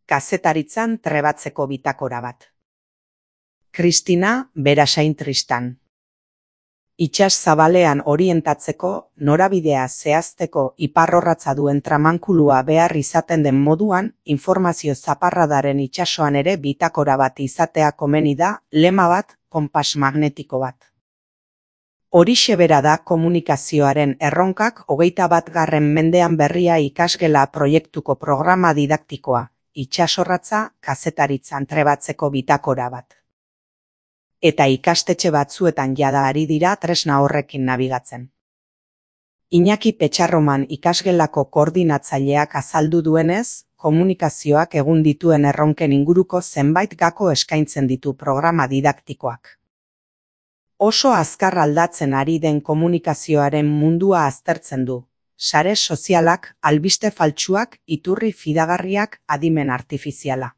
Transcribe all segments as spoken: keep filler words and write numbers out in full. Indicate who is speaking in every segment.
Speaker 1: kazetaritzan trebatzeko bitakora bat. Kristina Berasain Tristan. Itsas zabalean orientatzeko, norabidea zehazteko iparrorratza duen tramankulua behar izaten den moduan, informazio zaparradaren itsasoan ere bitakora bat izatea komeni da, lema bat, konpas magnetiko bat. Horixe bera da komunikazioaren erronkak hogeita batgarren mendean berria ikasgela proiektuko programa didaktikoa, itsasorratza kazetaritzan trebatzeko bitakora bat. Eta ikastetxe batzuetan jada ari dira tresna horrekin nabigatzen. Iñaki Petxarroman ikasgelako koordinatzaileak azaldu duenez, komunikazioak egun dituen erronken inguruko zenbait gako eskaintzen ditu programa didaktikoak. Oso azkar aldatzen ari den komunikazioaren mundua aztertzen du. Sare sozialak, albiste faltsuak, iturri fidagarriak, adimen artifiziala.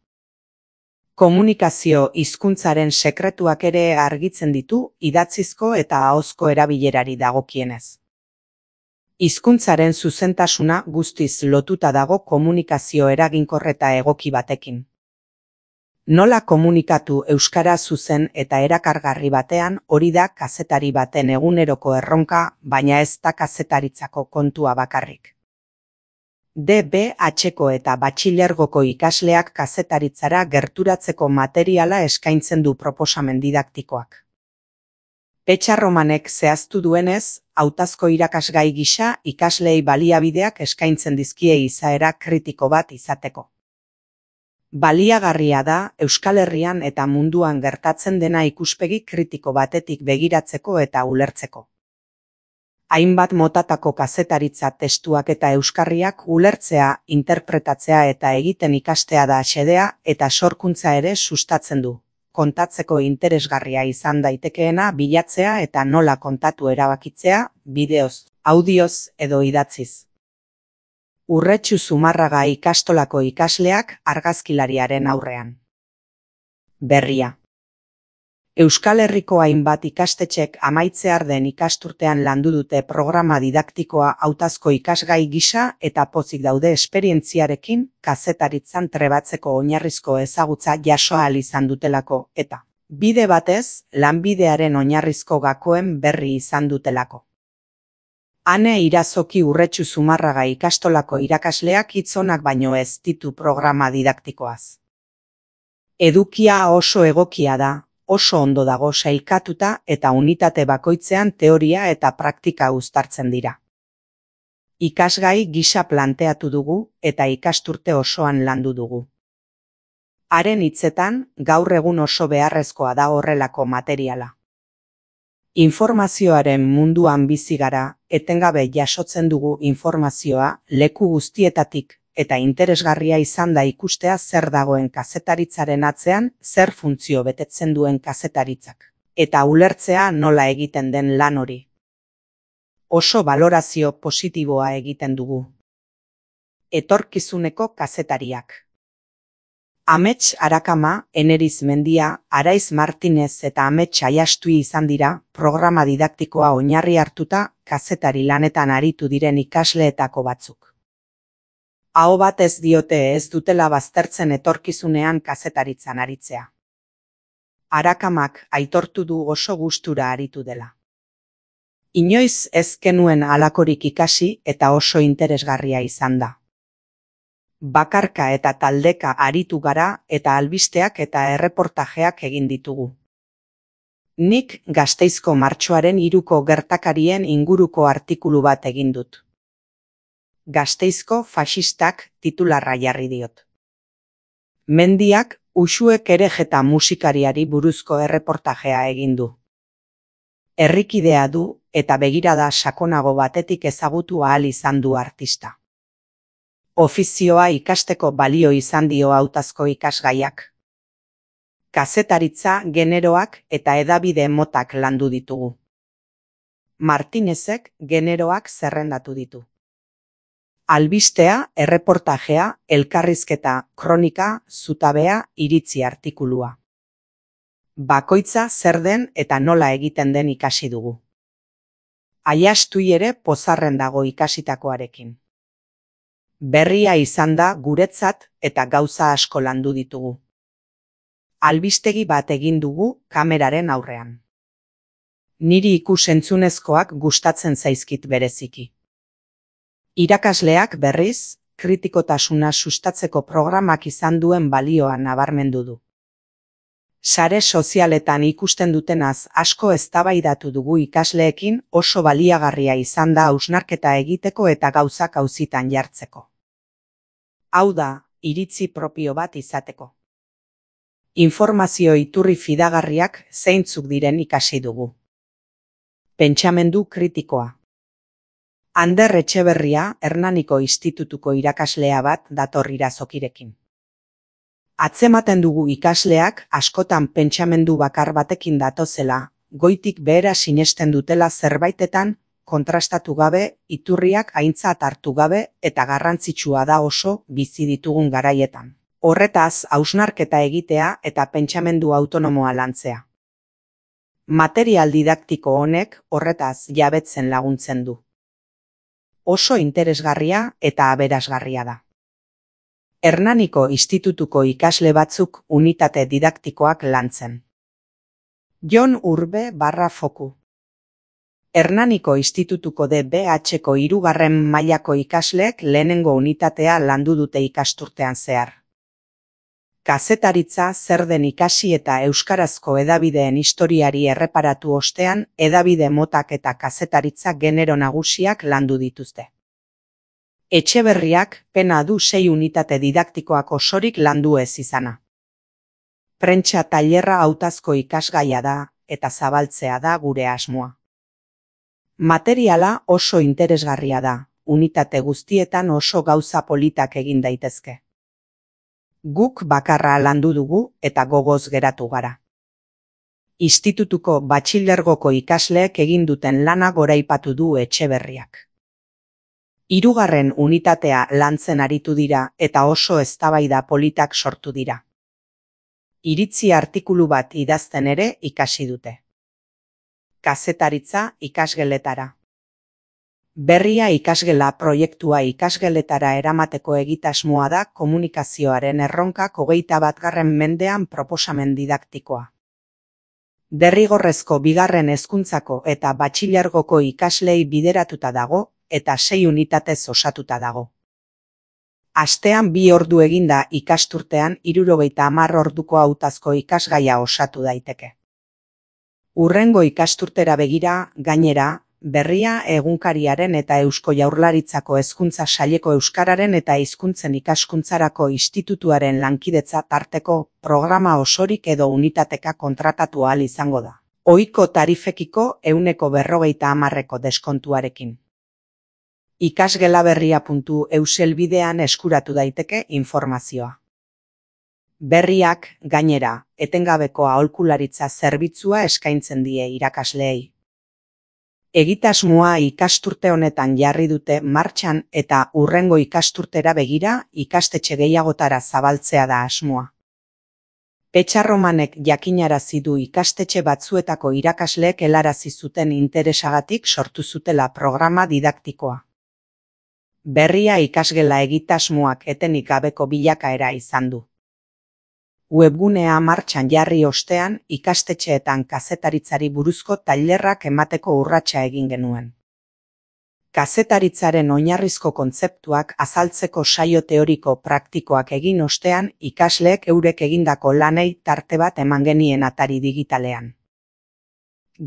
Speaker 1: Komunikazio hizkuntzaren sekretuak ere argitzen ditu idatzizko eta ahozko erabilerari dagokienez. Hizkuntzaren zuzentasuna guztiz lotuta dago komunikazio eraginkor eta egoki batekin. Nola komunikatu euskara zuzen eta erakargarri batean hori da kazetari baten eguneroko erronka, baina ez da kazetaritzako kontua bakarrik. D B H-ko eta batxilergoko ikasleak kazetaritzara gerturatzeko materiala eskaintzen du proposamen didaktikoak. Petxarromanek zehaztu duenez, hautazko irakasgai gisa ikasleei baliabideak eskaintzen dizkie izaera kritiko bat izateko. Baliagarria da Euskal Herrian eta munduan gertatzen dena ikuspegi kritiko batetik begiratzeko eta ulertzeko. Hainbat motatako kazetaritza testuak eta euskarriak ulertzea, interpretatzea eta egiten ikastea da xedea eta sorkuntza ere sustatzen du. Kontatzeko interesgarria izan daitekeena bilatzea eta nola kontatu erabakitzea, bideoz, audioz edo idatziz. Urretxu Zumarraga ikastolako ikasleak argazkilariaren aurrean. Berria. Euskal Herriko hainbat ikastetxek amaitzear den ikasturtean landu dute programa didaktikoa hautazko ikasgai gisa eta pozik daude esperientziarekin kazetaritzan trebatzeko oinarrizko ezagutza jaso ahal izan dutelako eta, bide batez, lanbidearen oinarrizko gakoen berri izan dutelako. Ane Irazoki Urretxu Zumarraga ikastolako irakasleak hitzonak baino ez ditu programa didaktikoaz. Edukia oso egokia da. Oso ondo dago sailkatuta eta unitate bakoitzean teoria eta praktika uztartzen dira. Ikasgai gisa planteatu dugu eta ikasturte osoan landu dugu. Haren hitzetan, gaur egun oso beharrezkoa da horrelako materiala. Informazioaren munduan bizi gara, etengabe jasotzen dugu informazioa leku guztietatik, eta interesgarria izan da ikustea zer dagoen kazetaritzaren atzean, zer funtzio betetzen duen kazetaritzak, eta ulertzea nola egiten den lan hori. Oso balorazio positiboa egiten dugu. Etorkizuneko kazetariak. Amets Arakama, Eneriz Mendia, Araiz Martinez eta Amets Aiastui izan dira, programa didaktikoa oinarri hartuta, kazetari lanetan aritu diren ikasleetako batzuk. Aho bat ez diote ez dutela baztertzen etorkizunean kazetaritzan aritzea. Arakamak aitortu du oso gustura aritu dela. Inoiz ez genuen halakorik ikasi eta oso interesgarria izan da. Bakarka eta taldeka aritu gara eta albisteak eta erreportajeak egin ditugu. Nik Gasteizko martxoaren hiruko gertakarien inguruko artikulu bat egin dut. Gasteizko faxistak titularra jarri diot. Mendiak Uxuek Erejeta musikariari buruzko erreportajea egin du. Herrikidea du eta begirada sakonago batetik ezagutu ahal izan du artista. Ofizioa ikasteko balio izan dio hautazko ikasgaiak. Kazetaritza, generoak eta hedabide motak landu ditugu. Martinezek generoak zerrendatu ditu. Albistea, erreportajea, elkarrizketa, kronika, zutabea, iritzi artikulua. Bakoitza zer den eta nola egiten den ikasi dugu. Aiastui ere pozarren dago ikasitakoarekin. Berria izan da guretzat eta gauza asko landu ditugu. Albistegi bat egin dugu kameraren aurrean. Niri ikus-entzunezkoak gustatzen zaizkit bereziki. Irakasleak berriz, kritikotasuna sustatzeko programak izan duen balioa nabarmendu du. Sare sozialetan ikusten dutenaz asko eztabaidatu dugu ikasleekin, oso baliagarria izan da hausnarketa egiteko eta gauzak auzitan jartzeko. Hau da, iritzi propio bat izateko. Informazio iturri fidagarriak zeintzuk diren ikasi dugu. Pentsamendu kritikoa. Ander Etxeberria, Hernaniko Institutuko irakaslea bat dator irazokirekin. Atzematen dugu ikasleak askotan pentsamendu bakar batekin datozela, goitik behera sinesten dutela zerbaitetan, kontrastatu gabe, iturriak aintzat hartu gabe eta garrantzitsua da oso bizi ditugun garaietan. Horretaz, hausnarketa egitea eta pentsamendu autonomoa lantzea. Material didaktiko honek horretaz jabetzen laguntzen du. Oso interesgarria eta aberasgarria da. Hernaniko Institutuko ikasle batzuk unitate didaktikoak lantzen. Jon Urbe barra foku. Hernaniko Institutuko D B H-ko hirugarren mailako ikasleek lehenengo unitatea landu dute ikasturtean zehar. Kazetaritza zer den ikasi eta euskarazko hedabideen historiari erreparatu ostean, hedabide motak eta kazetaritza genero nagusiak landu dituzte. Etxeberriak pena du sei unitate didaktikoak osorik landu ez izana. Prentsa tailerra hautazko ikasgaia da eta zabaltzea da gure asmoa. Materiala oso interesgarria da, unitate guztietan oso gauza politak egin daitezke. Guk bakarra landu dugu eta gogoz geratu gara. Institutuko batxilergoko ikasleek egin duten lana goraipatu du Etxeberriak. Hirugarren unitatea lantzen aritu dira eta oso eztabaida politak sortu dira. Iritzi artikulu bat idazten ere ikasi dute. Kazetaritza ikasgeletara. Berria ikasgela proiektua ikasgeletara eramateko egitasmoa da komunikazioaren erronkak hogeita batgarren mendean proposamen didaktikoa. Derrigorrezko bigarren hezkuntzako eta batxilergoko ikaslei bideratuta dago, eta sei unitatez osatuta dago. Astean bi ordu eginda ikasturtean hirurogeita hamar orduko hautazko ikasgaia osatu daiteke. Hurrengo ikasturtera begira, gainera, Berria egunkariaren eta Eusko Jaurlaritzako Hezkuntza Saileko Euskararen eta Hizkuntzen Ikaskuntzarako Institutuaren lankidetza tarteko programa osorik edo unitateka kontratatu ahal izango da. Ohiko tarifekiko ehuneko berrogeita hamarreko deskontuarekin. ikasgelaberria puntu eus helbidean eskuratu daiteke informazioa. Berriak, gainera, etengabeko aholkularitza zerbitzua eskaintzen die irakasleei. Egitasmoa ikasturte honetan jarri dute martxan eta hurrengo ikasturtera begira ikastetxe gehiagotara zabaltzea da asmoa. Petxarromanek jakinarazi du ikastetxe batzuetako irakasleek helarazi zuten interesagatik sortu zutela programa didaktikoa. Berria ikasgela egitasmoak etenik gabeko bilakaera izan du. Webgunea martxan jarri ostean ikastetxeetan kazetaritzari buruzko tailerrak emateko urratsa egin genuen. Kazetaritzaren oinarrizko kontzeptuak azaltzeko saio teoriko praktikoak egin ostean ikasleek eurek egindako lanei tarte bat eman genien atari digitalean.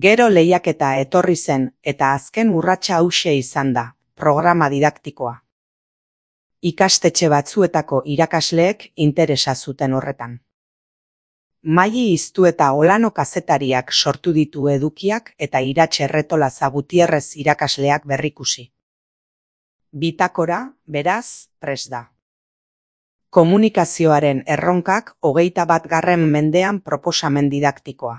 Speaker 1: Gero lehiaketa etorri zen eta azken urratsa hauxe izan da, programa didaktikoa. Ikastetxe batzuetako irakasleek interesa zuten horretan. Maili Iztu eta Olano kazetariak sortu ditu edukiak eta Iratxe Erretolaza Gutierrez irakasleak berrikusi. Bitakora, beraz, prest da. Komunikazioaren erronkak hogeita batgarren mendean proposamen didaktikoa.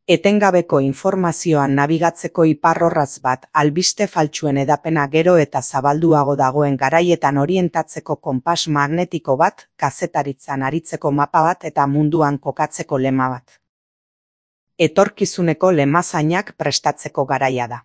Speaker 1: Etengabeko informazioan nabigatzeko iparrorratz bat albiste faltsuen hedapena gero eta zabalduago dagoen garaietan orientatzeko konpas magnetiko bat, kazetaritzan aritzeko mapa bat eta munduan kokatzeko lema bat. Etorkizuneko lemazainak prestatzeko garaia da.